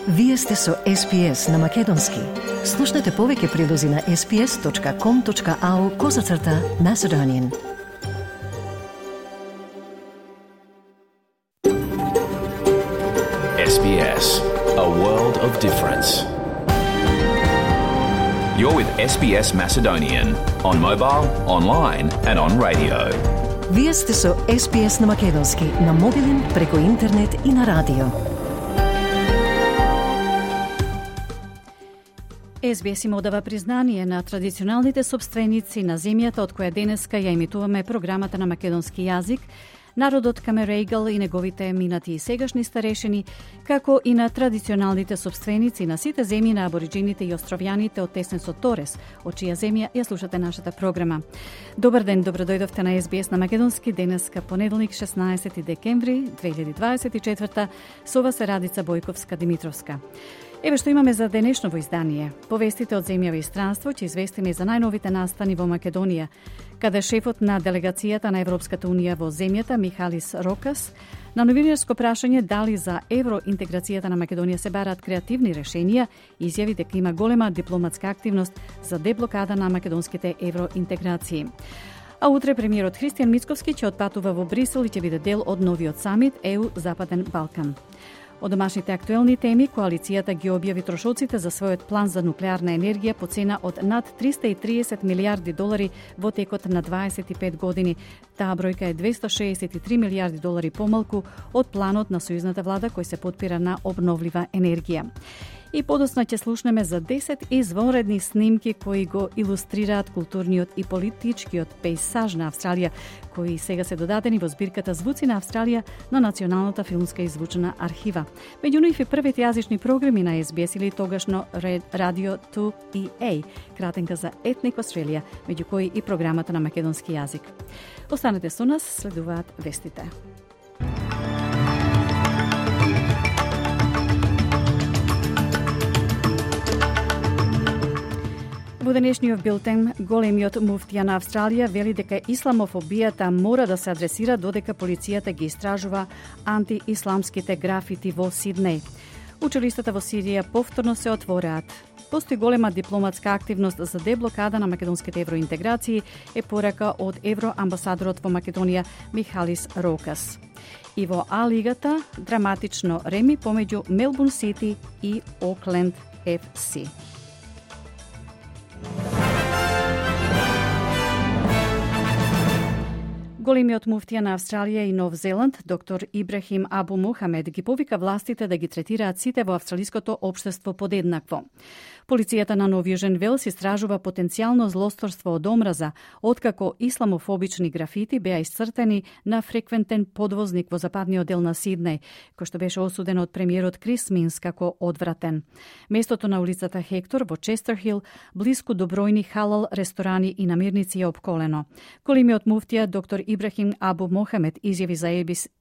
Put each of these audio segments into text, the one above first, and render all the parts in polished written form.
Вие сте со SPS на Македонски. Слушнете повеќе прилози на sps.com.au/Macedonian. SBS, a world of difference. You're with SBS Macedonian on mobile, online and on radio. Вие сте со SPS на Македонски на мобилен, преку интернет и на радио. SBS им одава признание на традиционалните собственици на земјата од која денеска ја емитуваме програмата на македонски јазик, народот Камерегал и неговите минати и сегашни старешини, како и на традиционалните собственици на сите земји на абориджините и островјаните од Теснесот Торес, од чија земја ја слушате нашата програма. Добар ден, добродојдовте на SBS на Македонски, денеска понеделник 16 декември 2024, со вас е Радица Бојковска-Димитровска. Еве што имаме за денешново издание. Повестите од земја и странство ќе известиме за најновите настани во Македонија, каде шефот на делегацијата на Европската унија во земјата Михалис Рокас на новинарско прашање дали за евроинтеграцијата на Македонија се бараат креативни решенија, изјави дека има голема дипломатска активност за деблокада на македонските евроинтеграции. А утре премиерот Христијан Мицковски ќе отпатува во Брисел и ќе биде дел од новиот самит ЕУ Западен Балкан. Од домашните актуелни теми, коалицијата ги објави трошоците за својот план за нуклеарна енергија по цена од над 330 милиарди долари во текот на 25 години. Таа бројка е 263 милиарди долари помалку од планот на сојузната влада кој се потпира на обновлива енергија. И подоцна ќе слушнеме за 10 извонредни снимки кои го илустрираат културниот и политичкиот пейсаж на Австралија, кои сега се додадени во збирката Звуци на Австралија на Националната филмска и звучна архива. Меѓу нив и првите јазични програми на SBS или тогашно Radio 2EA, кратенка за Ethnic Australia, меѓу кои и програмата на македонски јазик. Останете со нас, следуваат вестите. Во денешниот билтен, големиот муфтија на Австралија вели дека исламофобијата мора да се адресира додека полицијата ги истражува антиисламските графити во Сиднеј. Училиштата во Сирија повторно се отвораат. Постои голема дипломатска активност за деблокада на македонските евроинтеграции, е порака од евроамбасадорот во Македонија Михалис Рокас. И во А-лигата драматично реми помеѓу Мелбурн Сити и Окленд FC. Големиот муфтија на Австралија и Нов Зеланд, доктор Ибрахим Абу Мухамед, ги повика властите да ги третираат сите во австралиското општество подеднакво. Полицијата на Нов Јужен Велс истражува потенцијално злосторство од омраза, откако исламофобични графити беа исцртени на фреквентен подвозник во западниот дел на Сиднеј, кој што беше осуден од премиерот Крис Минс како одвратен. Местото на улицата Хектор во Честерхил, блиску до бројни халал ресторани и намирници е опколено. Големиот муфтија доктор Ибрахим Абу Мохамед изјави за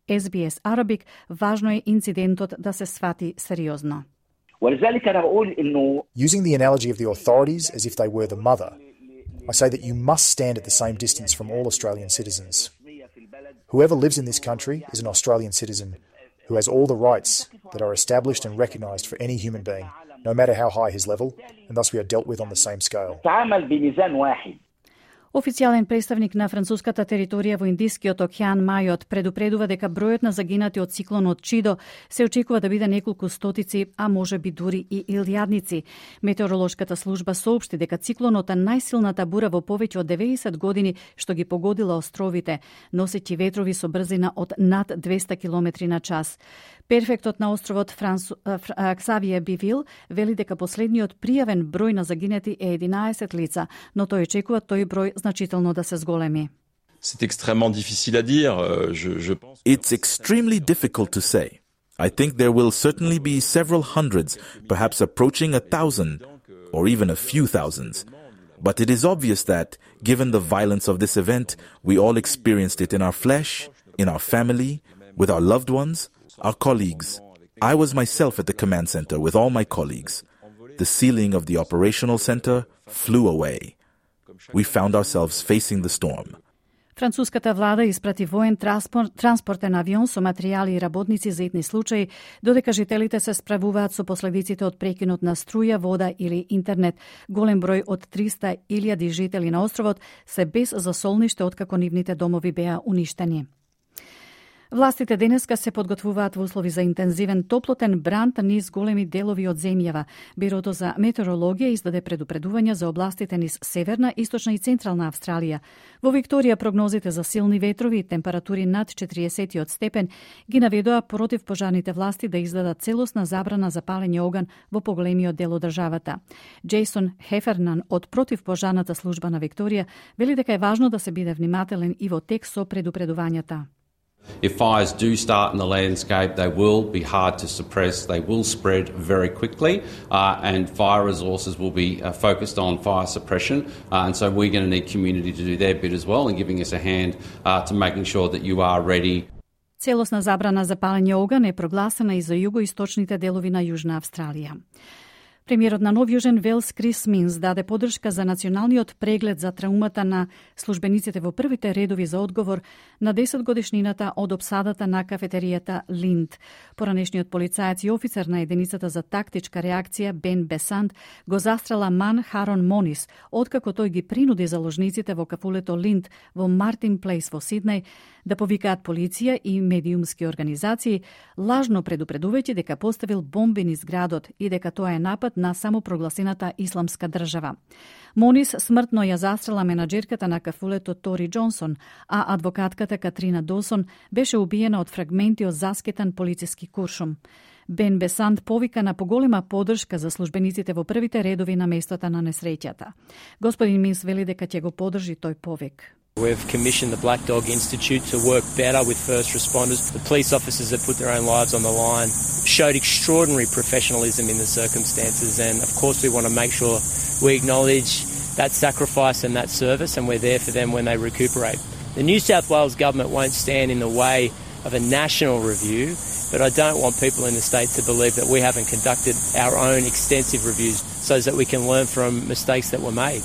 SBS Arabic, важно е инцидентот да се свати сериозно. Using the analogy of the authorities as if they were the mother, I say that you must stand at the same distance from all Australian citizens. Whoever lives in this country is an Australian citizen who has all the rights that are established and recognised for any human being, no matter how high his level, and thus we are dealt with on the same scale. Официјален представник на француската територија во Индискиот океан Мајот предупредува дека бројот на загинати од циклонот Чидо се очекува да биде неколку стотици, а може би дури и илјадници. Метеоролошката служба соопшти дека циклонот е најсилната бура во повеќе од 90 години што ги погодила островите, носејќи ветрови со брзина од над 200 км на час. Перфектот на островот Ксавие Бивил вели дека последниот пријавен број на загинати е 11 лица, но тој очекува тој број значително да се зголеми. C'est extrêmement difficile à dire. It's extremely difficult to say. I think there will certainly be several hundreds, perhaps approaching 1,000, or even a few thousands. But it is obvious that, given the violence of this event, we all experienced it in our flesh, in our family, with our loved ones, our colleagues. I was myself at the command center with all my colleagues. The ceiling of the operational center flew away. We found ourselves facing the storm. Француската влада испрати воен транспортен авион со материјали и работници за итни случаи, додека жителите се справуваат со последиците од прекинот на струја, вода или интернет. Голем број од 300.000 жители на островот се без засолниште откако нивните домови беа уништени. Властите денеска се подготвуваат во услови за интензивен топлотен бран низ големи делови од земјава. Бирото за метеорологија издаде предупредувања за областите низ северна, источна и централна Австралија. Во Викторија прогнозите за силни ветрови и температури над 40 степен ги наведоа против пожарните власти да издадат целосна забрана за палење оган во поголемиот дел од државата. Джейсон Хефернан од противпожарната служба на Викторија вели дека е важно да се биде внимателен и во тек со предупредувањата. If fires do start in the landscape, they will be hard to suppress, they will spread very quickly, and fire resources will be focused on fire suppression, and so we're going to need community to do their bit as well in giving us a hand to making sure that you are ready. Целосна забрана за палење оган е прогласена и за југоисточните делови на Јужна Австралија. Премиерот на Нов Јужен Велс Крис Минс даде подршка за националниот преглед за траумата на службениците во првите редови за одговор на 10-годишнината од опсадата на кафетеријата Линд. Поранешниот полицаец и офицер на единицата за тактичка реакција Бен Бесанд го застрела Ман Харон Монис, откако тој ги принуди заложниците во кафулето Линд во Мартин Плейс во Сиднеј да повикаат полиција и медиумски организации, лажно предупредувајќи дека поставил бомби низ градот и дека тоа е напад на самопрогласената исламска држава. Монис смртно ја застрела менаџерката на кафулето Тори Џонсон, а адвокатката Катрина Досон беше убиена од фрагменти од заскетан полициски куршум. Бен Бесанд повика на поголема поддршка за службениците во првите редови на местото на несреќата. Господин Минс вели дека ќе го поддржи тој повик. We've commissioned the Black Dog Institute to work better with first responders. The police officers that put their own lives on the line showed extraordinary professionalism in the circumstances, and of course we want to make sure we acknowledge that sacrifice and that service, and we're there for them when they recuperate. The New South Wales government won't stand in the way of a national review, but I don't want people in the state to believe that we haven't conducted our own extensive reviews so that we can learn from mistakes that were made.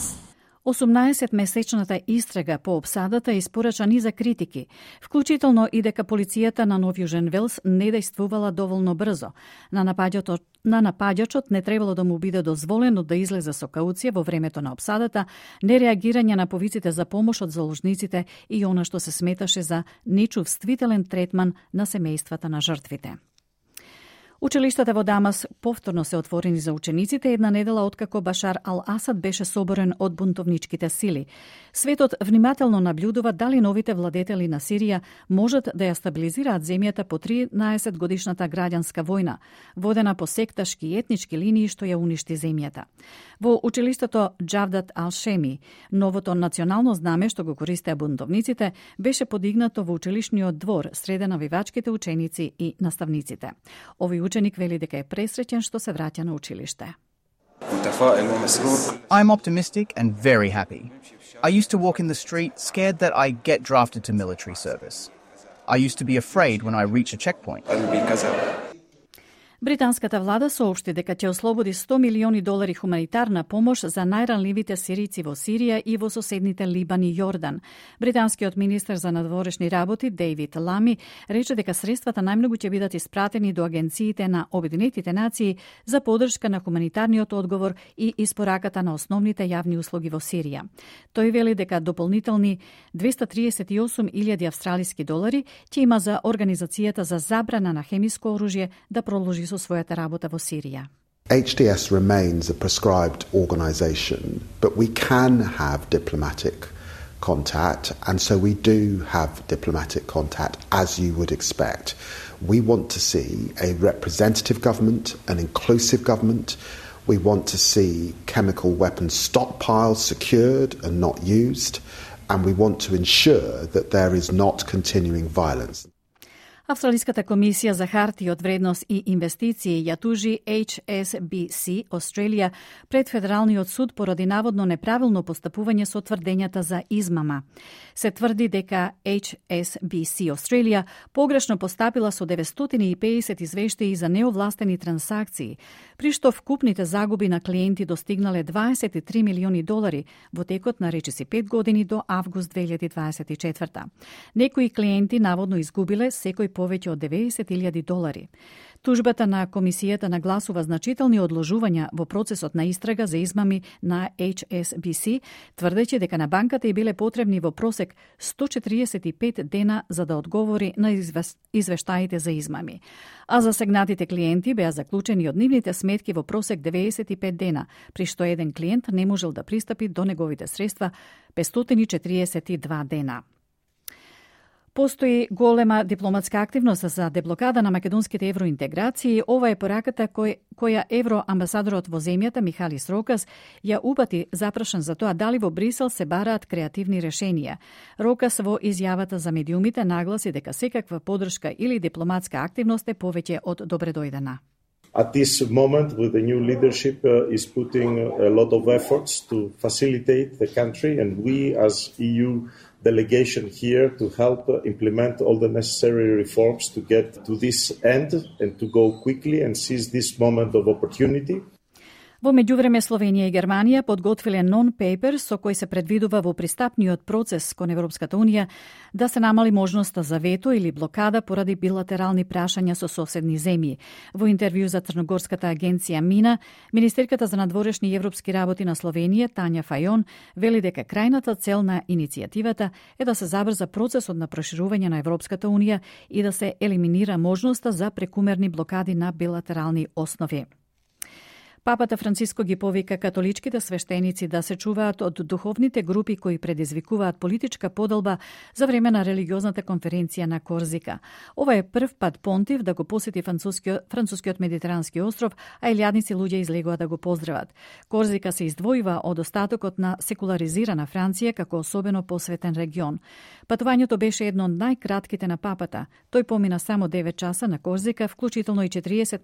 18-месечната истрага по опсадата испорача низа критики, вклучително и дека полицијата на Нов Јужен Велс не действувала доволно брзо. На напаѓачот не требало да му биде дозволено да излезе со кауција во времето на опсадата, нереагирање на повиците за помош од заложниците и она што се сметаше за нечувствителен третман на семејствата на жртвите. Училиштата во Дамас повторно се отворени за учениците една недела откако Башар Ал-Асад беше соборен од бунтовничките сили. Светот внимателно наблюдува дали новите владетели на Сирија можат да ја стабилизираат земјата по 13-годишната граѓанска војна, водена по секташки и етнички линии што ја уништи земјата. Во училиштето Џавдат Ал-Шеми, новото национално знаме што го користеа бунтовниците беше подигнато во училишниот двор среде навивачките ученици и наставниците. Овој ученик вели дека е пресреќен што се враќа на училиште. I'm optimistic and very happy. I used to walk in the street scared that I get drafted to military service. I used to be afraid when I reach a checkpoint. Британската влада соопшти дека ќе ослободи $100 милиони хуманитарна помош за најранливите сирици во Сирија и во соседните Либан и Јордан. Британскиот министер за надворешни работи Дейвид Лами рече дека средствата најмногу ќе бидат испратени до агенциите на Обединетите нации за поддршка на хуманитарниот одговор и испораката на основните јавни услуги во Сирија. Тој вели дека дополнителни $238.000 австралиски долари ќе има за организацијата за забрана на хемиско оружје да продолжи со својата работа во Сирија. HDS remains a prescribed organisation, but we can have diplomatic contact, and so we do have diplomatic contact, as you would expect. We want to see a representative government, an inclusive government. We want to see chemical weapons stockpiles secured and not used, and we want to ensure that there is not continuing violence. Австралиската комисија за хартии од вредност и инвестиции ја тужи HSBC Australia пред Федералниот суд поради наводно неправилно постапување со тврдењата за измама. Се тврди дека HSBC Australia погрешно постапила со 950 извештаи за неовластени трансакции, при што вкупните загуби на клиенти достигнале $23 милиони во текот на речиси 5 години до август 2024. Некои клиенти наводно изгубиле секој повеќе од $90,000. Тужбата на комисијата нагласува значителни одложувања во процесот на истрага за измами на HSBC, тврдејќи дека на банката и биле потребни во просек 145 дена за да одговори на извештаите за измами. А засегнатите клиенти беа заклучени од нивните сметки во просек 95 дена, при што еден клиент не можел да пристапи до неговите средства 542 дена. Постои голема дипломатска активност за деблокада на македонските евроинтеграции. Ова е пораката која евроамбасадорот во земјата Михалис Рокас ја упати запрашан за тоа дали во Брисел се бараат креативни решенија. Рокас во изјавата за медиумите нагласи дека секаква подршка или дипломатска активност е повеќе од добредојдена. At this moment, with the new leadership, is putting a lot of efforts to facilitate the country, and we as EU delegation here to help implement all the necessary reforms to get to this end and to go quickly and seize this moment of opportunity. Во меѓувреме Словенија и Германија подготвиле нон-пейпер со кој се предвидува во пристапниот процес кон Европската Унија да се намали можноста за вето или блокада поради билатерални прашања со соседни земји. Во интервју за Црногорската агенција МИНА, министерката за надворешни и европски работи на Словенија Тања Фајон вели дека крајната цел на иницијативата е да се забрза процесот на проширување на Европската Унија и да се елиминира можноста за прекумерни блокади на билатерални основи. Папата Франциско ги повика католичките свештеници да се чуваат од духовните групи кои предизвикуваат политичка поделба за време на религиозната конференција на Корзика. Ова е прв пат понтив да го посети францускиот медитерански остров, а илјадници луѓе излегува да го поздрават. Корзика се издвојува од остатокот на секуларизирана Франција како особено посветен регион. Патувањето беше едно од најкратките на папата. Тој помина само 9 часа на Корзика, вклучително и 40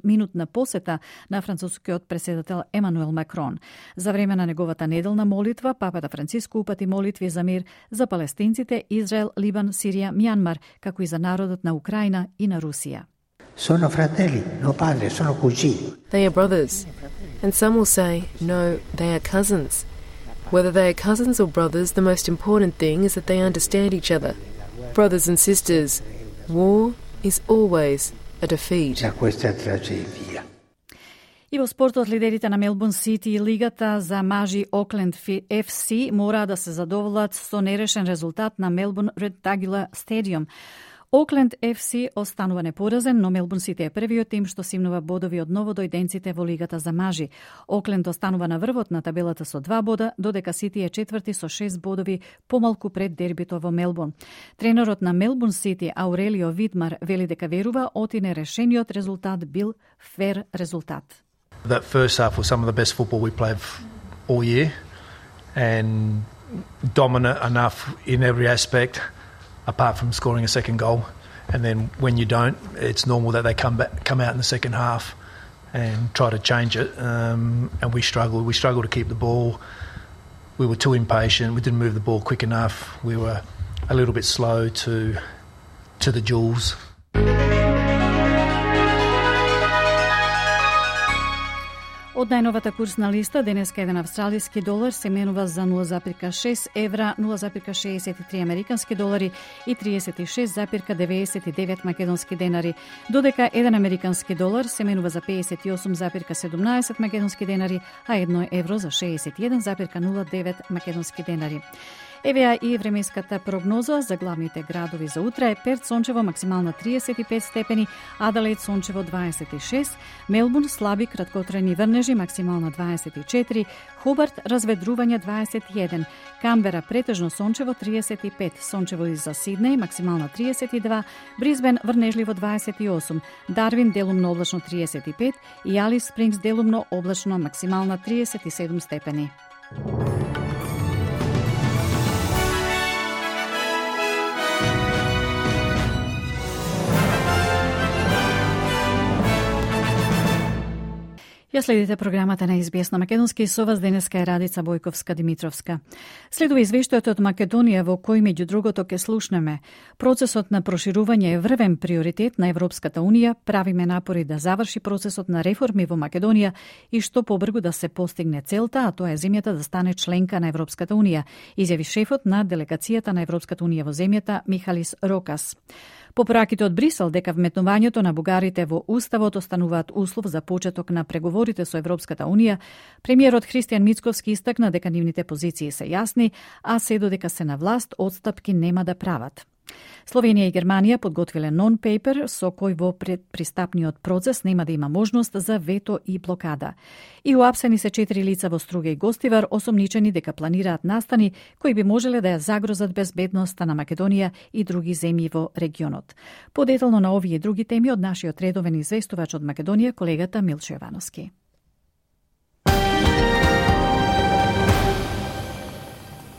минутна посета на францускиот преседател Емануел Макрон. За време на неговата неделна молитва, папата Франциско упати молитви за мир за палестинците, Израел, Либан, Сирија, Мјанмар, како и за народот на Украина и на Русија. Sono fratelli, no padre, sono cugini. They are brothers, and some will say, no, they are cousins. Whether they are cousins or brothers, the most important thing is that they understand each other. Brothers and sisters, war is always a defeat. Questa tragedia. И во спортот, лидерите на Мелбурн Сити и лигата за мажи Окленд FC мора да се задоволат со нерешен резултат на Мелбурн Редтагула Стадиум. Окленд FC останува непоразен, но Мелбурн Сити е првиот тим што симнува бодови од новодојденците во лигата за мажи. Окленд останува на врвот на табелата со 2 бода, додека Сити е четврти со 6 бодови помалку пред дербито во Мелбурн. Тренерот на Мелбурн Сити Аурелио Видмар вели дека верува оти нерешениот резултат бил фер резултат. That first half was some of the best football we played all year and dominant enough in every aspect apart from scoring a second goal. And then when you don't, it's normal that they come out in the second half and try to change it. And we struggled. We struggled to keep the ball. We were too impatient. We didn't move the ball quick enough. We were a little bit slow to the jewels. Од најновата курсна листа, денеска еден австралиски долар се менува за 0,6 евра, 0,63 американски долари и 36,99 македонски денари, додека еден американски долар се менува за 58,17 македонски денари, а 1 евро за 61,09 македонски денари. Евеа и времеската прогноза за главните градови за утре. Перт сончево максимална 35 степени, Аделаид сончево 26, Мелбурн слаби краткотрajни врнежи максимална 24, Хобарт разведрување 21, Камбера претежно сончево 35, сончево и за Сиднеј максимална 32, Брисбен врнежливо 28, Дарвин делумно облачно 35 и Алис Спрингс делумно облачно максимална 37 степени. Ја следите програмата на СБС на македонски и со вас денеска е Радица Бојковска-Димитровска. Следува извештајот од Македонија во кој меѓу другото ке слушнеме. Процесот на проширување е врвен приоритет на Европската Унија, правиме напори да заврши процесот на реформи во Македонија и што побрзо да се постигне целта, а тоа е земјата да стане членка на Европската Унија, изјави шефот на делегацијата на Европската Унија во земјата Михалис Рокас. По пораките од Брисел дека вметнувањето на бугарите во Уставот остануваат услов за почеток на преговорите со Европската Унија, премиерот Христијан Мицковски истакна дека нивните позиции се јасни, а се додека се на власт, одстапки нема да прават. Словенија и Германија подготвиле нон-пейпер со кој во предпристапниот процес нема да има можност за вето и блокада. И уапсени се 4 лица во Струга и Гостивар, осомничени дека планираат настани кои би можеле да ја загрозат безбедноста на Македонија и други земји во регионот. Подетално на овие и други теми од нашиот редовен известувач од Македонија, колегата Милчо Јовановски.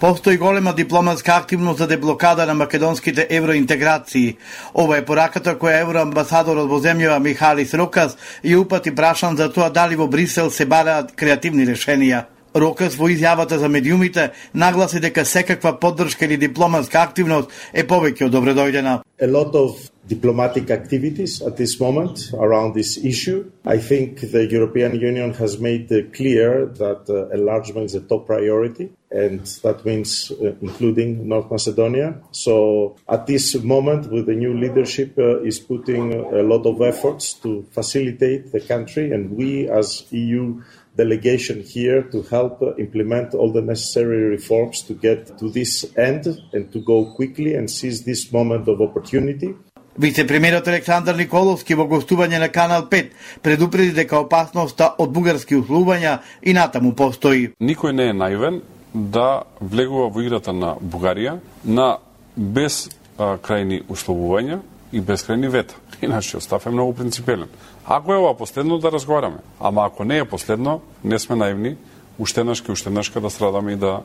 Постои голема дипломатска активност за деблокада на македонските евроинтеграции. Ова е пораката која евроамбасадорот во земјава Михалис Рокас ја упати прашан за тоа дали во Брисел се бараат креативни решенија. Рокас во изјавата за медиумите нагласи дека секаква поддршка или дипломатска активност е повеќе од добредојдена. A lot of diplomatic activities at this moment around this issue. I think the European Union has made clear that enlargement is a top priority, and that means including North Macedonia. So at this moment, with the new leadership, is putting a lot of efforts to facilitate the country, and we as EU delegation here to help implement all the necessary reforms to get to this end and to go quickly and seize this moment of opportunity. Вице-премиерот Александар Николовски во гостување на Канал 5 предупреди дека опасноста од бугарски условувања и натаму постои. Никој не е наивен да влегува во играта на Бугарија на без крајни условувања и без крајни вета. И нашиот став е многу принципелен. Ако е ова последно, да разговараме. Ама ако не е последно, не сме наивни, уштенашка да страдаме и да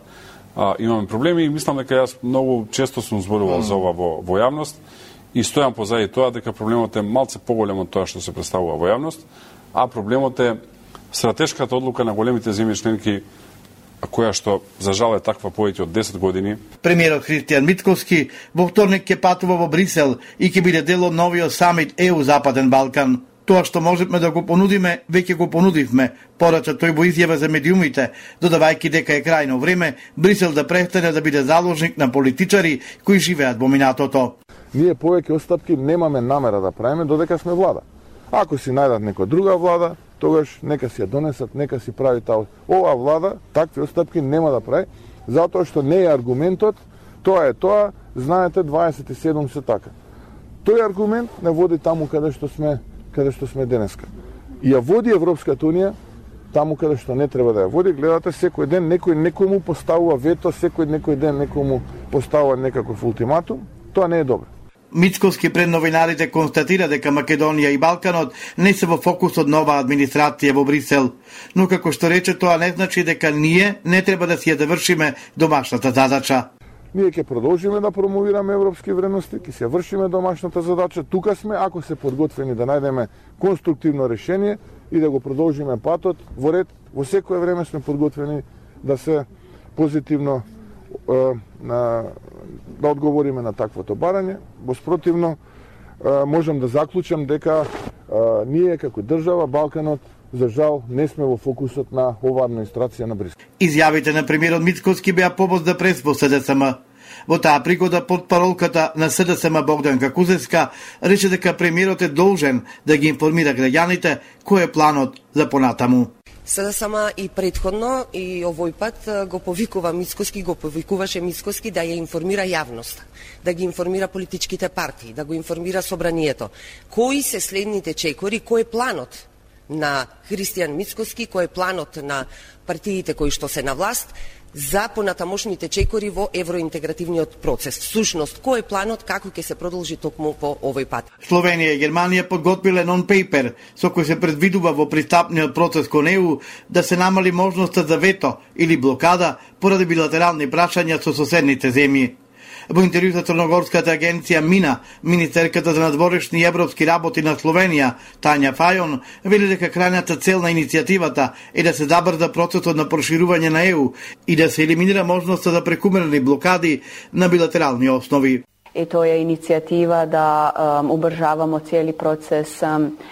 имаме проблеми. И мислам дека јас многу често сум зборувал за ова во јавност и стојам позади тоа дека проблемот е малце поголем од тоа што се представува во јавност, а проблемот е стратешката одлука на големите земји членки, која што за жал е таква повеќе од 10 години. Премиерот Христијан Мицковски во вторник ќе патува во Брисел и ќе биде дел од новиот самит ЕУ Западен Балкан. Тоа што можеме да го понудиме, веќе го понудивме, порача тој во изјава за медиумите, додавајќи дека е крајно време Брисел да престане да биде заложник на политичари кои живеат во минатото. Ние повеќе отстапки немаме намера да правиме додека сме влада. Ако си најдат некоја друга влада, тогаш нека си ја донесат, нека си прави таа. Оваа влада такви отстапки нема да прави, затоа што не е аргументот, тоа е тоа, знаете 27 се така. Тој аргумент не води таму каде што сме денеска. И ја води Европската Унија таму каде што не треба да ја води. Гледате, секој ден некој му поставува вето, некој ден некој му поставува некаков ултиматум. Тоа не е добро. Мицковски пред новинарите констатира дека Македонија и Балканот не се во фокусот на оваа администрација во Брисел, но како што рече, тоа не значи дека ние не треба да си ја завршиме домашната задача. Ние ќе продолжиме да промовираме европски вредности, ќе си ја вршиме домашната задача. Тука сме, ако се подготвени да најдеме конструктивно решение и да го продолжиме патот во ред. Во секое време сме подготвени да се позитивно да одговориме на таквото барање. Воспротивно, можам да заклучам дека ние како држава, Балканот, за жал, не сме во фокусот на оваа администрација на Брисел. Изјавите на премиерот Мицковски беа повод за прес во СДСМ. Во таа пригода портпаролката на СДСМ Богданка Кузевска рече дека премиерот е должен да ги информира граѓаните кој е планот за понатаму. СДСМ и предходно и овој пат го повикуваше Мицковски да ја информира јавноста, да ги информира политичките партии, да го информира собранието. Кои се следните чекори, кој е планот на Христијан Мицковски, кој е планот на партиите кои што се на власт за понатамошните чекори во евроинтегративниот процес. Всушност, кој е планот, како ќе се продолжи токму по овој пат? Словенија и Германија подготвиле нон-пейпер со кој се предвидува во пристапниот процес кон ЕУ да се намали можноста за вето или блокада поради билатерални прашања со соседните земји. Во интервју за Црногорската агенција МИНА, министерката за надворешни и европски работи на Словенија, Тања Фајон, вели дека крајната цел на иницијативата е да се забрза процесот на проширување на ЕУ и да се елиминира можноста за прекумерни блокади на билатерални основи. И тоа е иницијатива да убржавамо цели процес.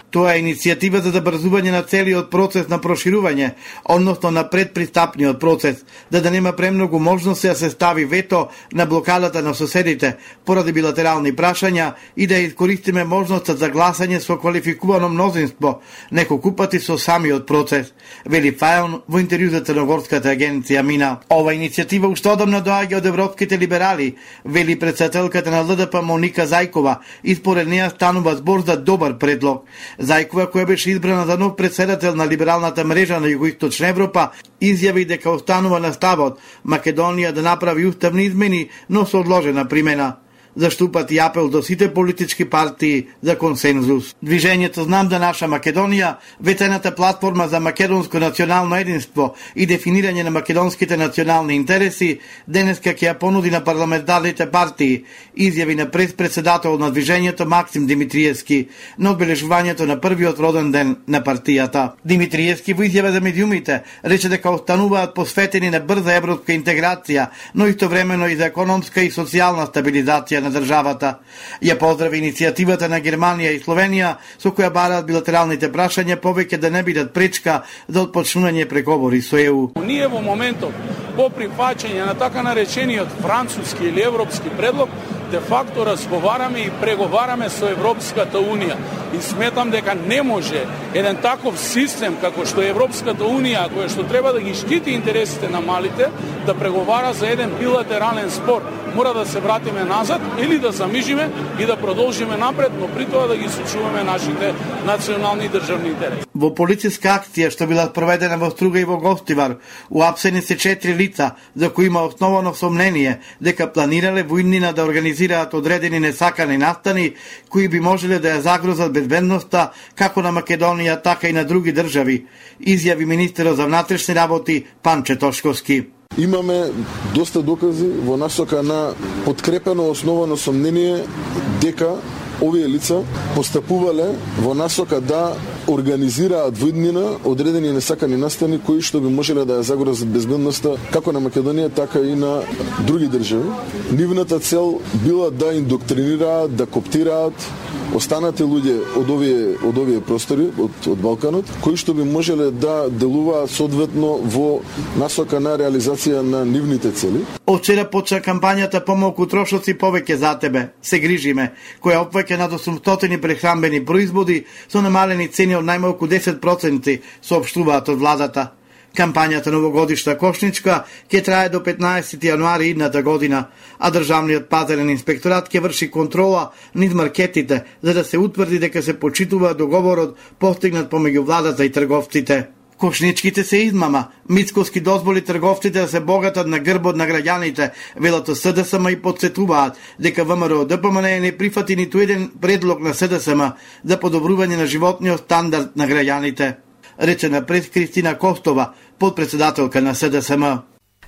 Тоа е иницијатива за забрзување на целиот процес на проширување, односно на предпристапниот процес, да нема премногу можности да се стави вето на блокадата на соседите поради билатерални прашања и да искористиме можноста за гласање со квалификувано мнозинство, неколку пати со самиот процес, вели Фајон во интервју за Црногорската агенција МИНА. Ова иницијатива уште одамна доаѓа од европските либерали, вели претседателката на ЛДП Моника Зајкова, и според неа станува збор за добар предлог. Зајкова, која беше избрана за нов председател на либералната мрежа на Југоисточна Европа, изјави дека останува на ставот Македонија да направи уставни измени, но со одложена примена. Заштупат и апел до сите политички партии за консензус. Движењето Знам да наша Македонија, ветената платформа за македонско национално единство и дефинирање на македонските национални интереси, денеска ќе ја понуди на парламентарните партии, изјави на председател на движењето Максим Димитриевски на одбележувањето на првиот роден ден на партијата. Димитриевски во изјава за медиумите рече дека остануваат посветени на брза европска интеграција, но истовремено и за економска и социјална стабилизација на државата. Ја поздрави иницијативата на Германија и Словенија со која бараат билатералните прашања повеќе да не бидат пречка за отпочнување преговори со ЕУ. Ние во моментот по прифаќање на така наречениот француски или европски предлог де факто разговараме и преговараме со Европската Унија и сметам дека не може еден таков систем како што е Европската Унија, која што треба да ги штити интересите на малите, да преговара за еден билатерален спор. Мора да се вратиме назад или да замижиме и да продолжиме напред, но при тоа да ги сочуваме нашите национални и државни интереси. Во полициска акција што била проведена во Струга и во Гостивар, уапсени се 4 лица за кои има основано сомнение дека планирале во иднина да организираат одредени несакани настани кои би можеле да ја загрозат безбедноста како на Македонија, така и на други држави, изјави министерот за внатрешни работи Панче Тошковски. Имаме доста докази во насока на подкрепено основано сомнение дека овие лица постапувале во насока да организираат во иднина одредени несакани настани кои што би можеле да ја загрозат безбедноста како на Македонија, така и на други држави. Нивната цел била да индоктринираат, да коптираат останати луѓе од овие простори, од Балканот, кои што би можеле да делуваат соодветно во насока на реализација на нивните цели. Од вчера почна кампањата Помалку трошоци, повеќе за тебе, се грижиме, која опфаќа над 800 прехранбени производи со намалени цени од најмалку 10%, соопштуваат од владата. Кампањата новогодишна кошничка ќе трае до 15 јануари идната година, а државниот пазарен инспекторат ќе врши контрола низ маркетите за да се утврди дека се почитува договорот постигнат помеѓу владата и трговците. Кошничките се измама, мицковски дозволи трговците да се богатат на грбот на граѓаните, велато СДСМ и подсетуваат дека ВМРО ДПМН не прифати ниту еден предлог на СДСМ за подобрување на животниот стандард на граѓаните, рече напред Кристина Костова, подпредседателка на СДСМ.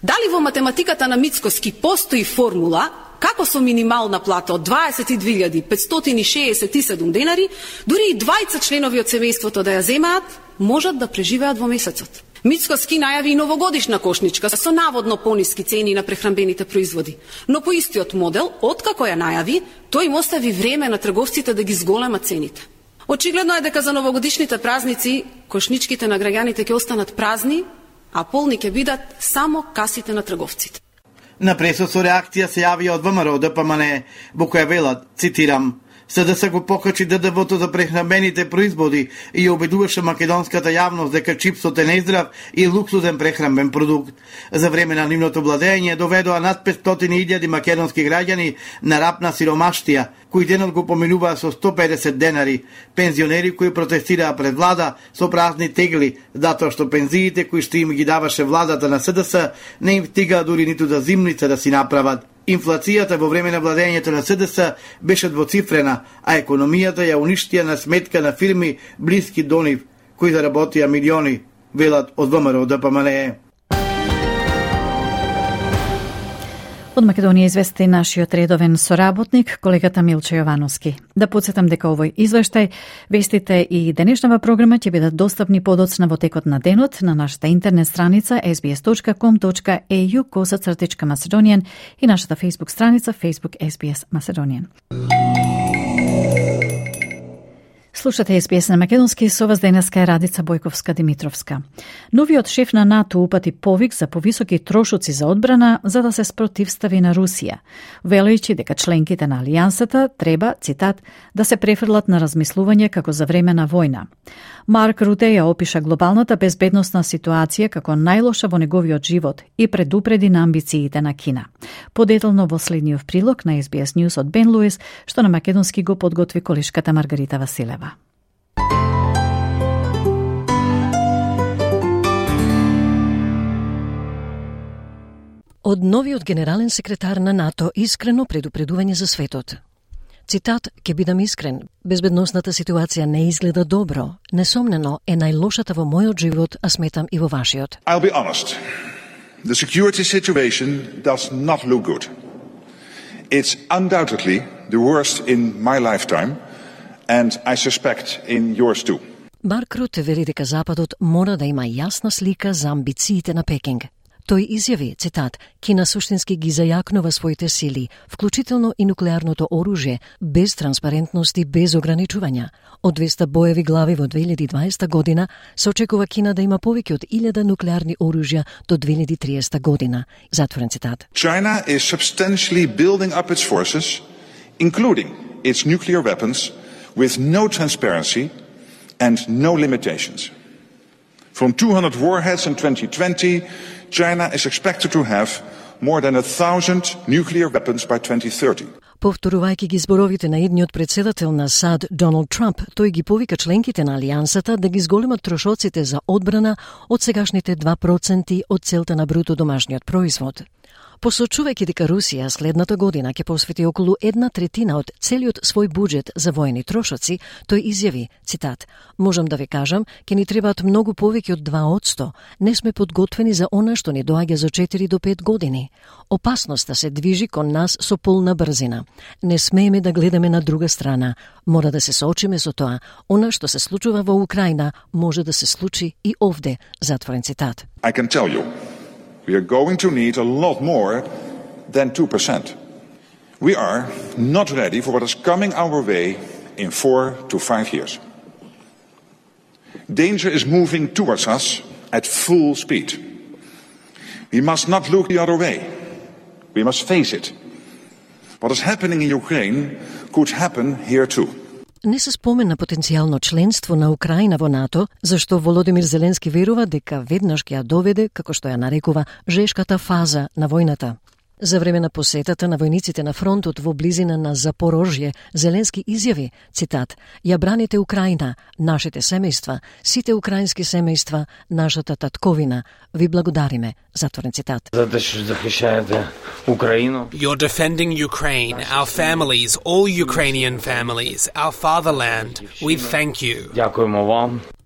Дали во математиката на Мицкоски постои формула како со минимална плата од 22.567 денари, дури и двајца членови од семејството да ја земаат, можат да преживеат во месецот. Мицкоски најави и новогодишна кошничка со наводно пониски цени на прехранбените производи, но по истиот модел, откако ја најави, тој им остави време на трговците да ги зголемат цените. Очигледно е дека за новогодишните празници кошничките на граѓаните ќе останат празни, а полни ќе бидат само касите на трговците. На пресот со реакција се јавија од ВМРО ДПМН, во која велат, цитирам, СДС го покачи ДДВ-то за прехранбените производи и ја убедуваше македонската јавност дека чипсот е нездрав и луксузен прехранбен продукт. За време на нивното владење доведоа над 500.000 македонски граѓани на рап на сиромаштија, кои денот го поминуваа со 150 денари, пензионери кои протестираа пред влада со празни тегли, затоа што пензиите кои што им ги даваше владата на СДС не им стигаа дури ниту за зимница да си направат. Инфлацијата во време на владењето на СДС беше двоцифрена, а економијата ја уништија на сметка на фирми блиски до нив, кои заработија милиони, велат од ВМРО ДПМН. Од Македонија извести нашиот редовен соработник, колегата Милче Јовановски. Да подсетам дека овој извештај, вестите и денешнава програма ќе бидат достапни подоцна во текот на денот на нашата интернет страница sbs.com.au/Macedonian и нашата Facebook страница Facebook SBS Macedonian. Слушате SBS на македонски, со вас денеска е Радица Бојковска-Димитровска. Новиот шеф на НАТО упати повик за повисоки трошоци за одбрана за да се спротивстави на Русија, велејќи дека членките на Алијансата треба, цитат, да се префрлат на размислување како за време на војна. Марк Руте ја опиша глобалната безбедносна ситуација како најлоша во неговиот живот и предупреди на амбициите на Кина. Подетално во следниот прилог на SBS News од Бен Луис, што на македонски го подготви колешката Маргарита Василева. Од новиот генерален секретар на НАТО искрено предупредување за светот. Цитат, ке бидам искрен, безбедносната ситуација не изгледа добро. Несомнено е најлошата во мојот живот, а сметам и во вашиот. I'll be honest. The security situation does not look good. It's undoubtedly the worst in my lifetime, and I suspect in yours too. Марк Руте вели дека Западот мора да има јасна слика за амбициите на Пекинг. Тој изјави, цитат, Кина суштински ги зајакнува своите сили, вклучително и нуклеарното оружје, без транспарентност и без ограничувања. Од 200 боеви глави во 2020 година се очекува Кина да има повеќе од 1000 нуклеарни оружја до 2030 година. Затворен цитат. China is substantially building up its forces, including its nuclear weapons, with no transparency and no limitations. From 200 warheads in 2020, China is expected to have more than 1,000 nuclear weapons by 2030. Повторувајќи ги зборовите на едниот председател на САД Доналд Трамп, тој ги повика членките на Алијансата да ги зголемат трошоците за одбрана од сегашните 2% од целта на бруто домашниот производ. Посочувајќи дека Русија следната година ќе посвети околу 1/3 од целиот свој буџет за војни трошоци, тој изјави, цитат, можам да ви кажам, ќе ни требаат многу повеќе од 2%. Не сме подготвени за она што ни доаѓа за 4 до 5 години. Опасноста се движи кон нас со полна брзина. Не смееме да гледаме на друга страна. Мора да се соочиме со тоа. Она што се случува во Украина може да се случи и овде, затворен цитат. I can tell you, we are going to need a lot more than 2%. We are not ready for what is coming our way in 4 to 5 years. Danger is moving towards us at full speed. We must not look the other way. We must face it. What is happening in Ukraine could happen here too. Не се спомена потенцијално членство на Украина во НАТО, зашто Володимир Зеленски верува дека веднаш ќе ја доведе, како што ја нарекува, жешката фаза на војната. За време на посетата на војниците на фронтот во близина на Запорожје, Зеленски изјави, цитат, ја браните Украина, нашите семејства, сите украински семејства, нашата татковина, ви благодариме, затворен цитат. You're defending Ukraine, our families, all Ukrainian families, our fatherland. We thank you.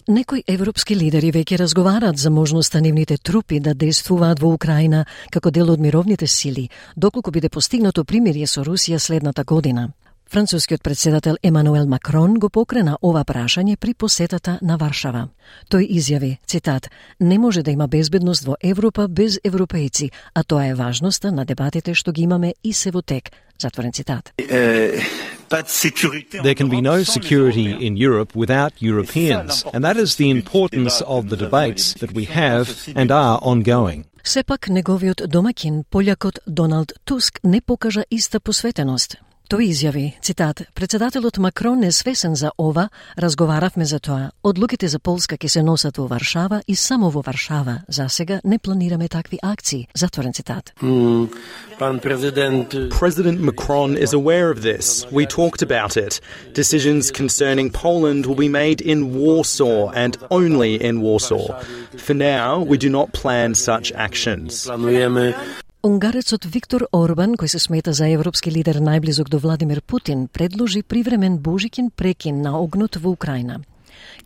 Некои европски лидери веќе разговараат за можноста нивните трупи да действуваат во Украина како дел од мировните сили, доколку биде постигнато примирие со Русија следната година. Францускиот председател Емануел Макрон го покрена ова прашање при посетата на Варшава. Тој изјави, цитат, не може да има безбедност во Европа без европејци, а тоа е важноста на дебатите што ги имаме и се во тек, затворен цитат. There can be no security in Europe without Europeans, and that is the importance of the debates that we have and are ongoing. Сепак неговиот домаќин, полјакот Доналд Туск, не покажа иста посветеност. Тој изјави, цитат, председателот Макрон е свесен за ова, разговаравме за тоа. Одлуките за Полска ќе се носат во Варшава и само во Варшава. За сега не планираме такви акции, затворен цитат. President Macron is aware of this. We talked about it. Decisions concerning Poland will be made in Warsaw and only in Warsaw. For now, we do not plan such actions. Унгарецот Виктор Орбан, кој се смета за европски лидер најблизок до Владимир Путин, предложи привремен божиќен прекин на огнот во Украина.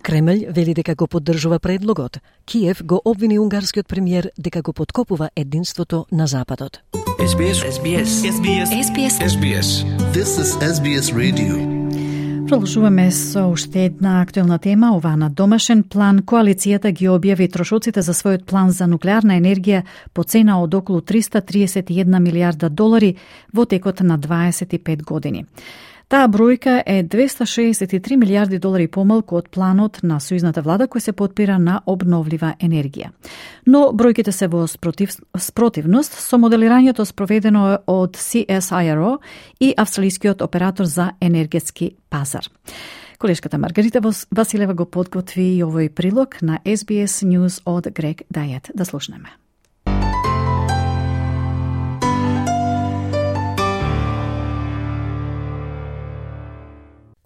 Кремљ вели дека го поддржува предлогот. Киев го обвини унгарскиот премиер дека го подкопува единството на Западот. SBS. This is SBS Radio. Продолжуваме со уште една актуелна тема, ова на домашен план. Коалицијата ги објави трошоците за својот план за нуклеарна енергија по цена од околу $331 милиарда во текот на 25 години. Таа бројка е $263 милиарди помалку од планот на сојузната влада кој се подпира на обновлива енергија. Но бројките се во спротивност со моделирањето спроведено од CSIRO и австралискиот оператор за енергетски пазар. Колешката Маргарита Василева го подготви и овој прилог на SBS News од Грег Дајет. Да слушнеме.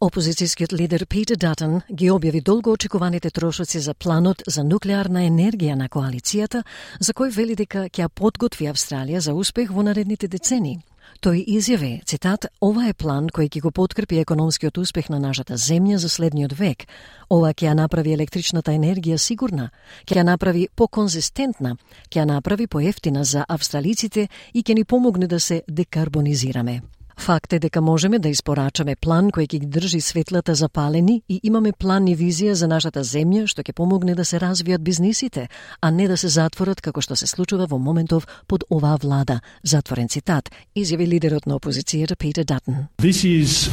Опозицијскиот лидер Питер Датон ги објави долго очекуваните трошоци за планот за нуклеарна енергија на коалицијата, за кој вели дека ќе подготви Австралија за успех во наредните децени. Тој изјави, цитат, ова е план кој ќе го подкрепи економскиот успех на нашата земја за следниот век. Ова ќе ја направи електричната енергија сигурна, ќе ја направи поконзистентна, ќе ја направи поевтина за австралиците и ќе ни помогне да се декарбонизираме. Факт е дека можеме да испорачаме план кој ќе ги држи светлата запалени и имаме план и визија за нашата земја што ќе помогне да се развијат бизнисите, а не да се затворат како што се случува во моментов под оваа влада. Затворен цитат, изјави лидерот на опозицијата Питер Датон. This is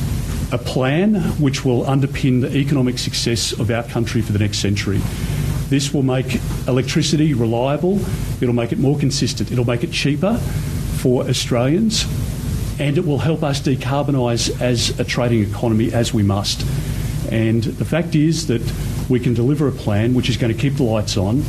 a plan which will underpin the economic success of our country for the next century. This will make electricity reliable, it'll make it more consistent, it'll make it cheaper for Australians. And it will help us decarbonise as a trading economy as we must. And the fact is that we can deliver a plan which is going to keep the lights on,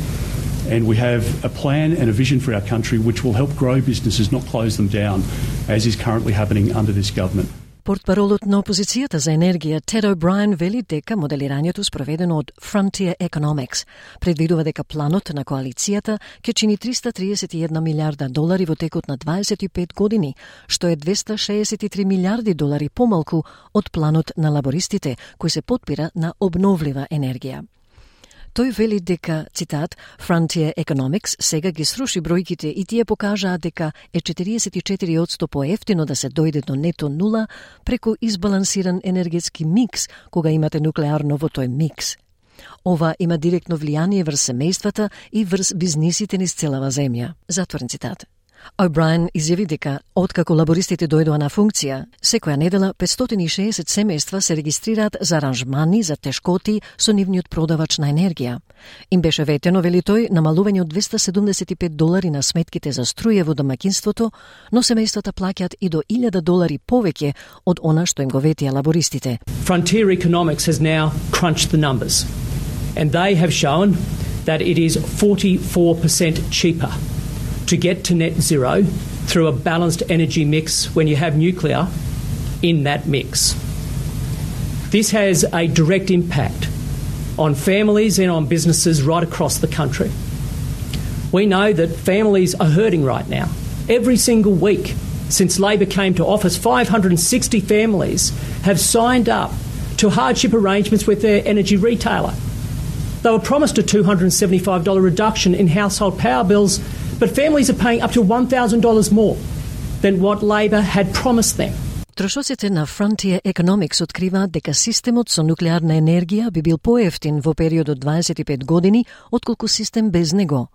and we have a plan and a vision for our country which will help grow businesses, not close them down, as is currently happening under this government. Портпаролот на опозицијата за енергија Тед О'Брајен вели дека моделирањето спроведено од Frontier Economics предвидува дека планот на коалицијата ќе чини $331 милиарда во текот на 25 години, што е $263 милиарди помалку од планот на лабористите, кој се подпира на обновлива енергија. Тој вели дека, цитат, Frontier Economics сега ги сруши бројките и тие покажаат дека е 44% поевтино да се дојде до нето нула преку избалансиран енергетски микс кога имате нуклеарно во тој микс. Ова има директно влијание врз семејствата и врз бизнисите низ целава земја. Затворен цитат. О'Брајен изјави дека, откако лабористите дојдоа на функција, секоја недела 560 семејства се регистрираат за аранжмани за тешкоти со нивниот продавач на енергија. Им беше ветено, вели тој, намалување од $275 на сметките за струја во домаќинството, но семејствата плаќаат и до $1,000 повеќе од она што им го ветија лабористите. Frontier Economics has now crunched the numbers, and they have shown that it is 44% cheaper to get to net zero through a balanced energy mix when you have nuclear in that mix. This has a direct impact on families and on businesses right across the country. We know that families are hurting right now. Every single week since Labor came to office, 560 families have signed up to hardship arrangements with their energy retailer. They were promised a $275 reduction in household power bills, but families are paying up to $1,000 more than what Labor had promised them. Трошоците на Frontier Economics откриваат дека системот со нуклеарна енергија би бил поевтин во период од 25 години отколку систем без него.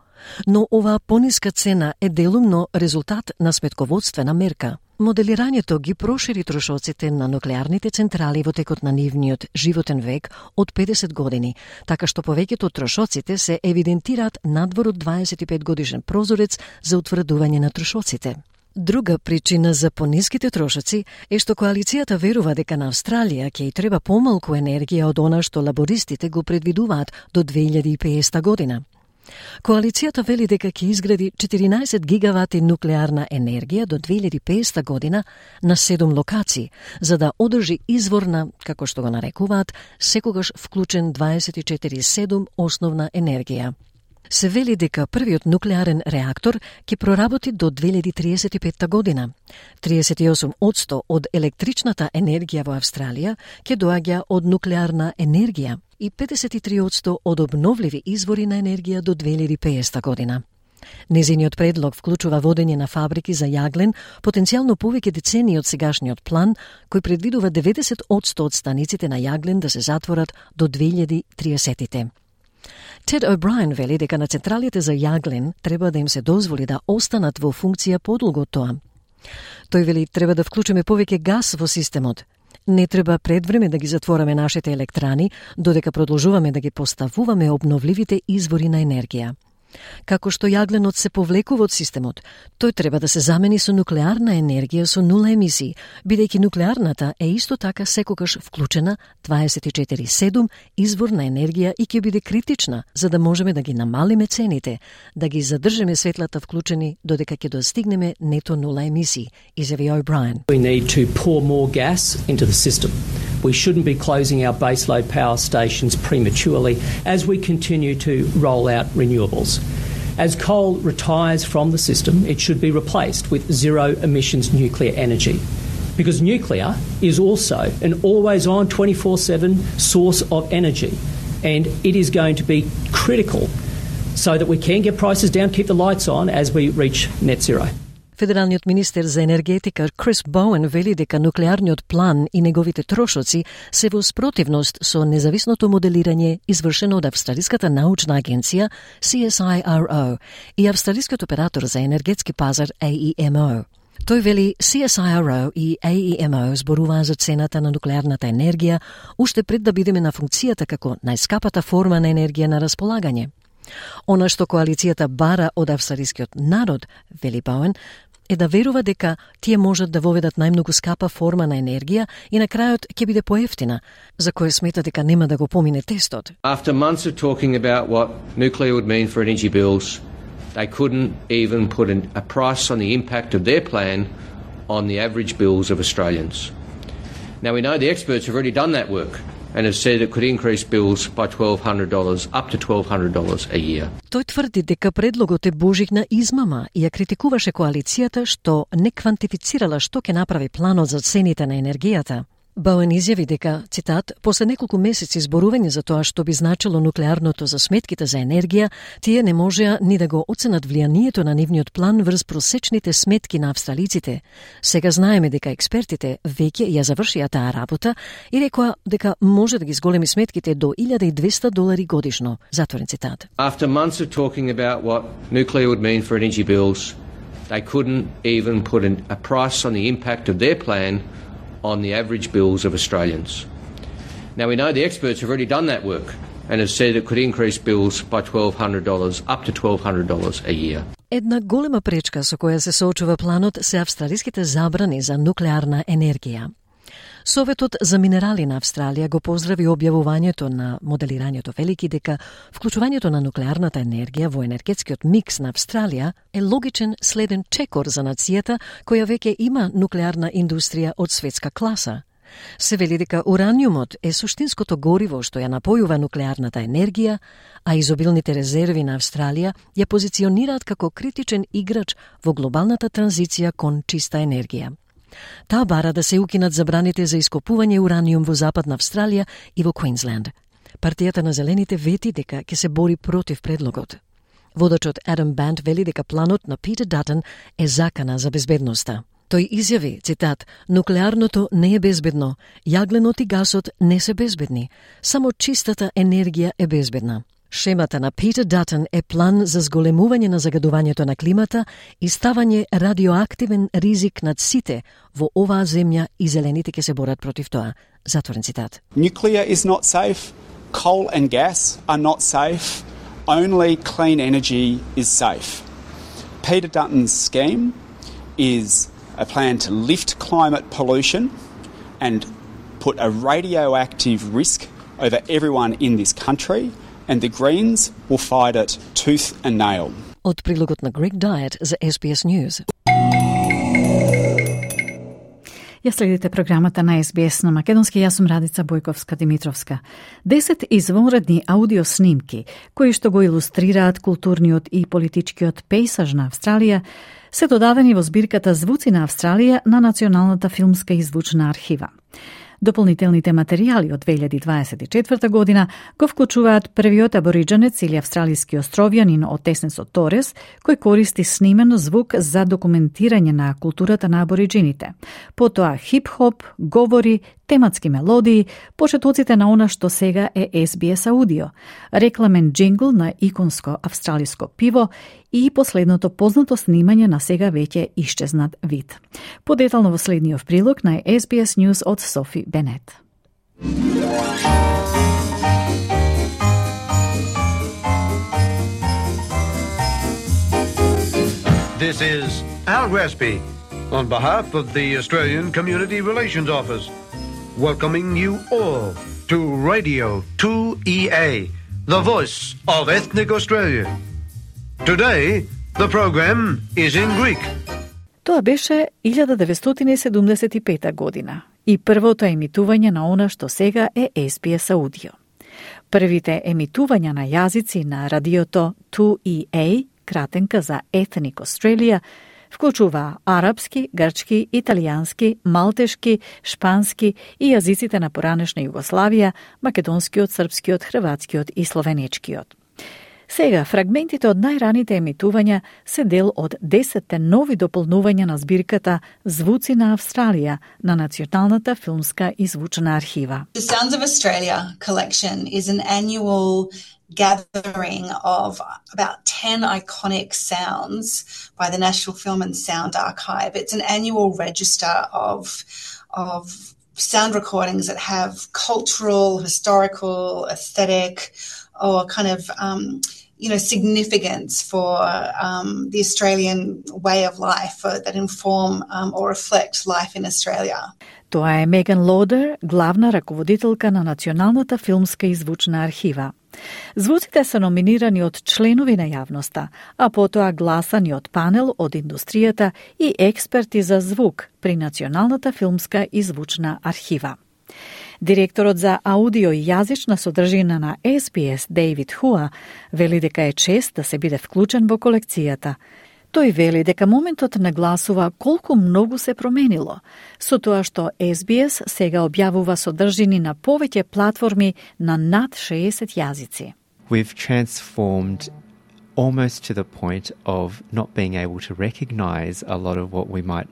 Но оваа пониска цена е делумно резултат на сметководствена мерка. Моделирањето ги прошири трошоците на нуклеарните централи во текот на нивниот животен век од 50 години, така што повеќето од трошоците се евидентираат надвор од 25 годишен прозорец за утврдување на трошоците. Друга причина за пониските трошоци е што коалицијата верува дека на Австралија ќе и треба помалку енергија од она што лабористите го предвидуваат до 2050 година. Коалицијата вели дека ќе изгради 14 гигавати нуклеарна енергија до 2050 година на 7 локации, за да одржи изворна, како што го нарекуваат, секогаш вклучен 24/7 основна енергија. Се вели дека првиот нуклеарен реактор ќе проработи до 2035 година. 38% од електричната енергија во Австралија ќе доаѓа од нуклеарна енергија. и 53% од обновливи извори на енергија до 2050 година. Незиниот предлог вклучува водење на фабрики за јаглен, потенцијално повеќе децении од сегашниот план, кој предвидува 90% од станиците на јаглен да се затворат до 2030-те. Тед О'Брајен вели дека на централите за јаглен треба да им се дозволи да останат во функција подолго од тоа. Тој вели треба да вклучиме повеќе газ во системот. Не треба пред време да ги затвораме нашите електрани, додека продолжуваме да ги поставуваме обновливите извори на енергија. Како што јагленот се повлекува од системот, тој треба да се замени со нуклеарна енергија со нула емисии, бидејќи нуклеарната е исто така секогаш вклучена 24/7 извор на енергија и ќе биде критична за да можеме да ги намалиме цените, да ги задржиме светлата вклучени додека ќе достигнеме нето нула емисии, изјави О'Брајен. We need to pour more gas into the system. We shouldn't be closing our baseload power stations prematurely as we continue to roll out renewables. As coal retires from the system, it should be replaced with zero-emissions nuclear energy, because nuclear is also an always-on 24/7 source of energy, and it is going to be critical so that we can get prices down, keep the lights on as we reach net zero. Федералниот министер за енергетика Крис Боуен вели дека нуклеарниот план и неговите трошоци се во спротивност со независното моделирање извршено од Австралиската научна агенција CSIRO и Австралискиот оператор за енергетски пазар AEMO. Тој вели CSIRO и AEMO зборуваа за цената на нуклеарната енергија уште пред да бидеме на функцијата како најскапата форма на енергија на располагање. Она што коалицијата бара од австралискиот народ, вели Боуен, е да верува дека тие можат да воведат најмногу скапа форма на енергија и на крајот ќе биде поевтина, за кое смета дека нема да го помине тестот. After months of talking about what nuclear would mean for energy bills, they couldn't even put a price on the impact of their plan on the average bills of Australians. Now we know the experts have already done that work and have said it could increase bills by $1,200, up to $1,200 a year. Тој тврди дека предлогот е божигна измама и ја критикуваше коалицијата што не квантифицирала што ќе направи планот за цените на енергијата. Боуен изјави дека, цитат, после неколку месеци зборување за тоа што би значило нуклеарното за сметките за енергија, тие не можеа ни да го оценат влијанието на нивниот план врз просечните сметки на австралиците. Сега знаеме дека експертите веќе ја завршија таа работа и рекоа дека може да ги зголеми сметките до $1,200 годишно. Затворен цитат. After months of talking about what nuclear would mean for energy bills, they couldn't even put a price on the impact of their plan on the average bills of Australians. Now we know the experts have already done that work and have said it could increase bills by $1,200, up to $1,200 a year. Една голема пречка со која се соочува планот се австралиските забрани за нуклеарна енергија. Советот за минерали на Австралија го поздрави објавувањето на моделирањето велики дека вклучувањето на нуклеарната енергија во енергетскиот микс на Австралија е логичен следен чекор за нацијата која веќе има нуклеарна индустрија од светска класа. Се вели дека ураниумот е суштинското гориво што ја напојува нуклеарната енергија, а изобилните резерви на Австралија ја позиционираат како критичен играч во глобалната транзиција кон чиста енергија. Таа бара да се укинат забраните за ископување ураниум во Западна Австралија и во Квинсленд. Партијата на Зелените вети дека ќе се бори против предлогот. Водачот Адам Банд вели дека планот на Питер Датън е закана за безбедноста. Тој изјави, цитат, нуклеарното не е безбедно, јагленот и гасот не се безбедни, само чистата енергија е безбедна. Шемата на Питер Датън е план за зголемување на загадувањето на климата и ставање радиоактивен ризик над сите во оваа земја и зелените ќе се борат против тоа. Затворен цитат. Nuclear is not safe, coal and gas are not safe, only clean energy is safe. Peter Dutton's scheme is a plan to lift climate pollution and put a radioactive risk over everyone in this country, and the Greens will fight it tooth and nail. Од прилогот на Greg Diet за SBS News. Ја следите програмата на SBS на македонски, јас сум Радица Бојковска-Димитровска. 10 извонредни аудиоснимки, кои што го илустрираат културниот и политичкиот пейсаж на Австралија, се додадени во збирката Звуци на Австралија на Националната филмска и звучна архива. Дополнителните материјали од 2024 година го вклучуваат првиот абориджанец или австралиски островјанин од Теснесо Торес, кој користи снимен звук за документирање на културата на абориджините. Потоа хип-хоп, говори, тематски мелодии, почетоците на она што сега е SBS аудио, рекламен джингл на иконско австралиско пиво и последното познато снимање на сега веќе исчезнат вид. Подетално во следниот прилог на SBS News од Софи Бенет. This is Al Gresby on behalf of the Australian Community Relations Office, welcoming you all to Radio 2EA, the voice of ethnic Australia. Today, the program is in Greek. Тоа беше 1975 година и првото емитување на она што сега е SBS аудио. Првите емитувања на јазици на радиото 2EA, кратенка за Ethnic Australia, вклучува арапски, грчки, италијански, малтешки, шпански и јазиците на поранешна Југославија, македонскиот, српскиот, хрватскиот и словенечкиот. Сега, фрагментите од најраните емитувања се дел од 10 нови дополнувања на збирката Звуци на Австралија на Националната филмска и звучна архива. The Sounds of Australia collection is an annual gathering of about 10 iconic sounds by the National Film and Sound Archive. It's an annual register of sound recordings that have cultural, historical, aesthetic, or kind of significance for the Australian way of life that inform or reflect life in Australia. Тоа е Меган Лодер, главна раководителка на Националната филмска и звучна архива. Звуците се номинирани од членови на јавноста, а потоа гласани од панел од индустријата и експерти за звук при Националната филмска и звучна архива. Директорот за аудио и јазична содржина на SBS, Дейвид Хуа, вели дека е чест да се биде вклучен во колекцијата. Тој вели дека моментот нагласува колку многу се променило, со тоа што SBS сега објавува содржини на повеќе платформи на над 60 јазици. We've transformed almost to the point of not being able to recognize a lot of what we might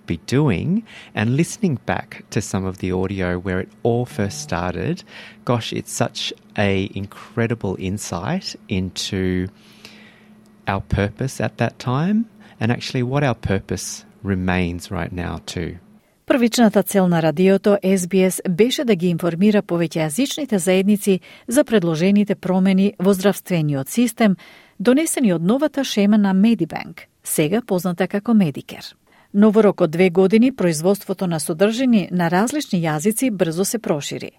be doing, and listening back to some of the audio where it all first started, gosh, it's such a incredible insight into our purpose at that time and actually what our purpose remains right now too. Првичната цел на радиото SBS беше да ги информира повеќејазичните заедници за предложените промени во здравствениот систем, донесени од новата шема на Medibank, сега позната како Medicare. Но во рок од 2 години производството на содржини на различни јазици брзо се прошири.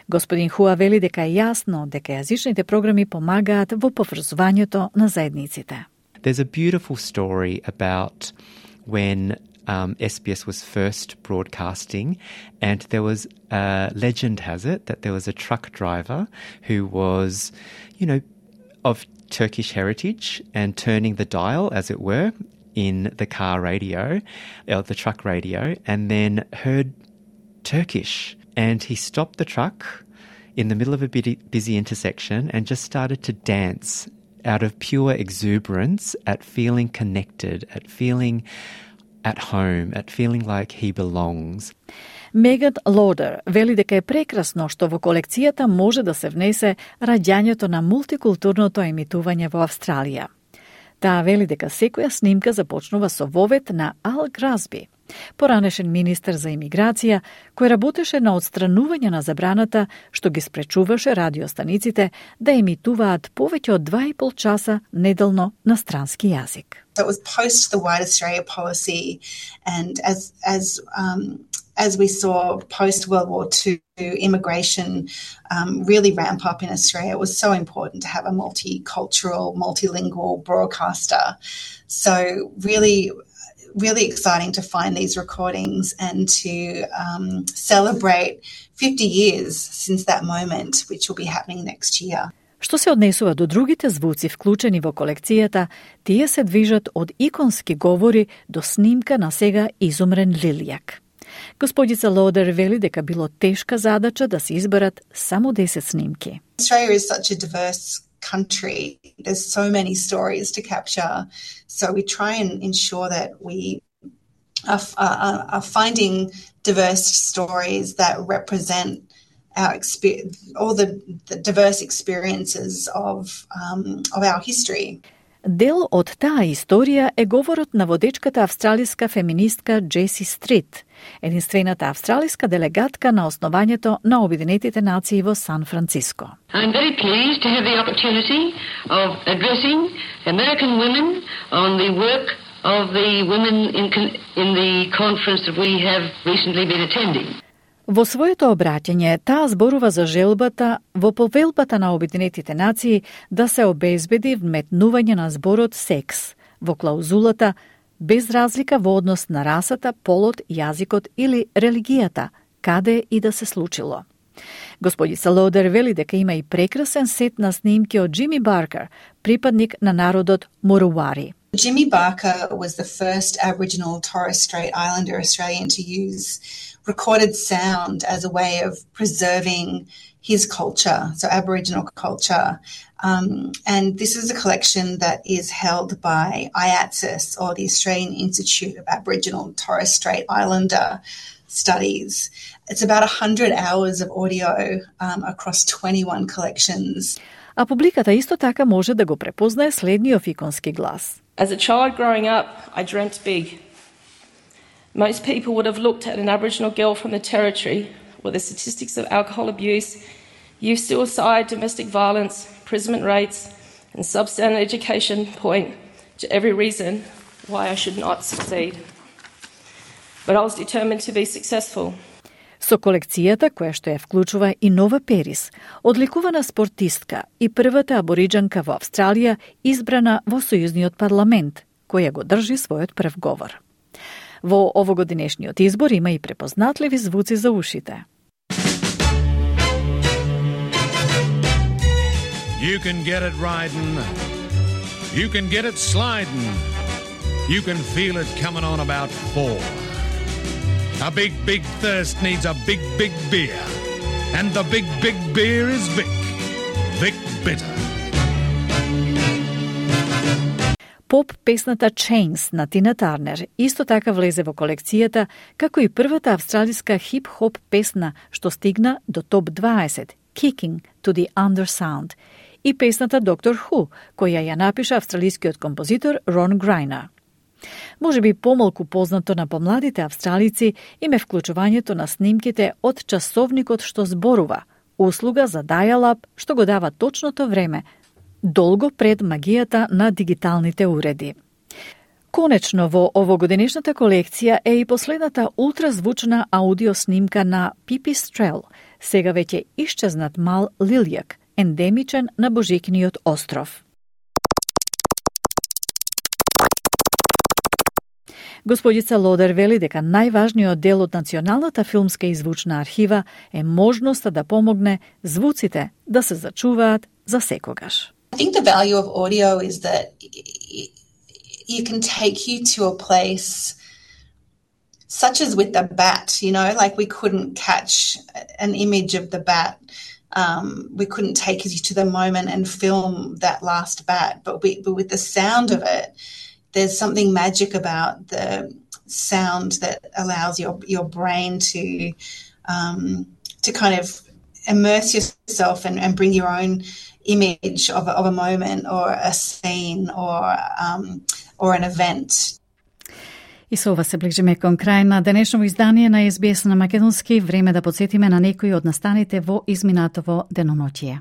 Господин Хуа вели дека е јасно дека јазичните програми помагаат во поврзувањето на заедниците. There's a beautiful story about when SBS was first broadcasting, and there was legend has it that there was a truck driver who was, of Turkish heritage and turning the dial, as it were, in the car radio, or the truck radio, and then heard Turkish. And he stopped the truck in the middle of a busy intersection and just started to dance out of pure exuberance at feeling connected, at feeling at home, at feeling like he belongs. Меган Лодер вели дека е прекрасно што во колекцијата може да се внесе раѓањето на мултикултурното емитување во Австралија. Таа вели дека секоја снимка започнува со вовет на Ал Грасби, поранешен министер за имиграција, кој работеше на отстранување на забраната што ги спречуваше радиостаниците да емитуваат повеќе од 2,5 часа неделно на странски јазик. So it was post the White Australia policy, and as we saw post World War II, immigration really ramp up in Australia. It was so important to have a multicultural, multilingual broadcaster. So really exciting to find these recordings and to celebrate 50 years since that moment, which will be happening next year. Што се однесува до другите звуци вклучени во колекцијата, тие се движат од иконски говори до снимка на сега изумрен лилјак. Господица Лодер вели дека било тешка задача да се изберат само 10 снимки. Australia is such a diverse country. There's so many stories to capture. So we try and ensure that we are finding diverse stories that represent our all the diverse experiences of our history. Дел од таа историја е говорот на водечката австралиска феминистка Джеси Стрит, единствената австралиска делегатка на основањето на Обединетите нации во Сан Франциско. I'm very pleased to have the opportunity of addressing American women on the work of the women in the conference that we have recently been attending. Во своето обраќање, таа зборува за желбата во повелбата на Обединетите нации да се обезбеди вметнување на зборот секс во клаузулата без разлика во однос на расата, полот, јазикот или религијата, каде и да се случило. Господица Лодер вели дека има и прекрасен сет на снимки од Джими Баркер, припадник на народот Муруари. Jimmy Barker was the first Aboriginal Torres Strait Islander Australian to use recorded sound as a way of preserving his culture, so Aboriginal culture. And this is a collection that is held by IATSIS, or the Australian Institute of Aboriginal and Torres Strait Islander Studies. It's about 100 hours of audio across 21 collections. А публиката исто така може да го препознае следниот иконски глас. As a child growing up, I dreamt big. Most people would have looked at an Aboriginal girl from the Territory where the statistics of alcohol abuse, youth suicide, domestic violence, imprisonment rates and substandard education point to every reason why I should not succeed. But I was determined to be successful. Со колекцијата, која што ја вклучува и Нова Перис, одликувана спортистка и првата абориџанка во Австралија избрана во Сојузниот парламент, која го држи својот прв говор. Во овогодинешниот избор има и препознатливи звуци за ушите. You can get it riding, you can get it sliding, you can feel it coming on about 4. A big, big thirst needs a big, big beer. And the big, big beer is Vic. Vic Bitter. Поп песната Chains на Тина Тарнер исто така влезе во колекцијата, како и првата австралиска хип-хоп песна што стигна до топ 20, Kicking to the Undersound, и песната Doctor Who, која ја напиша австралискиот композитор Рон Грајнер. Може би помалку познато на помладите австралици им е вклучувањето на снимките од часовникот што зборува, услуга за dial-up што го дава точното време, долго пред магијата на дигиталните уреди. Конечно, во овогодинешната колекција е и последната ултразвучна аудио снимка на Пипистрел, сега веќе исчезнат мал лилјак, ендемичен на Божикниот остров. Господица Лодер вели дека најважниот дел од Националната филмска и звучна архива е можноста да помогне звуците да се зачуваат за секогаш. I think the value of audio is that you can take you to a place such as with the bat, you know, like we couldn't catch an image of the bat. We couldn't take you to the moment and film that last bat, but with the sound of it, there's something magic about the sound that allows your brain to kind of immerse yourself and bring your own image of a moment or a scene or an event. И со ова се ближиме кон крај на денешно издание на SBS на македонски. Време да подсетиме на некои од настаните во изминатово деноноќие.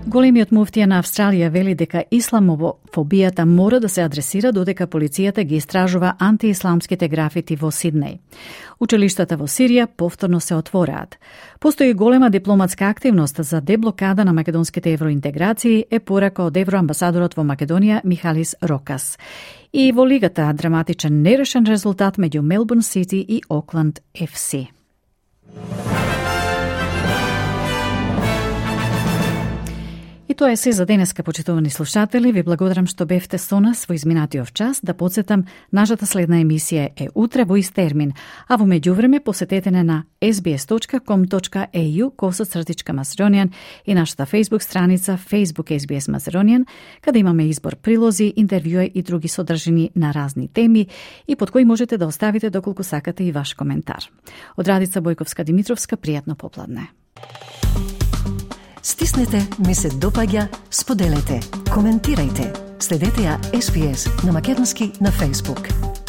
Големиот муфтија на Австралија вели дека исламофобијата мора да се адресира додека полицијата ги истражува антиисламските графити во Сиднеј. Училиштата во Сирија повторно се отвораат. Постои голема дипломатска активност за деблокада на македонските евроинтеграции, е порака од евроамбасадорот во Македонија Михалис Рокас. И во лигата драматичен нерешен резултат меѓу Мелбурн Сити и Окланд FC. И тоа е се за денеска, почитувани слушатели. Ви благодарам што бевте со нас во изминатиот час. Да подсетам, нашата следна емисија е утре во ист термин, а во меѓувреме посетете на sbs.com.au/Macedonian и нашата Facebook страница Facebook SBS Macedonian, каде имаме избор прилози, интервјуи и други содржини на разни теми и под кои можете да оставите доколку сакате и ваш коментар. Од Радица Бојковска-Димитровска, пријатно попладне. Стиснете, ми се допаѓа, споделете, коментирајте. Следете ја SBS на македонски на Facebook.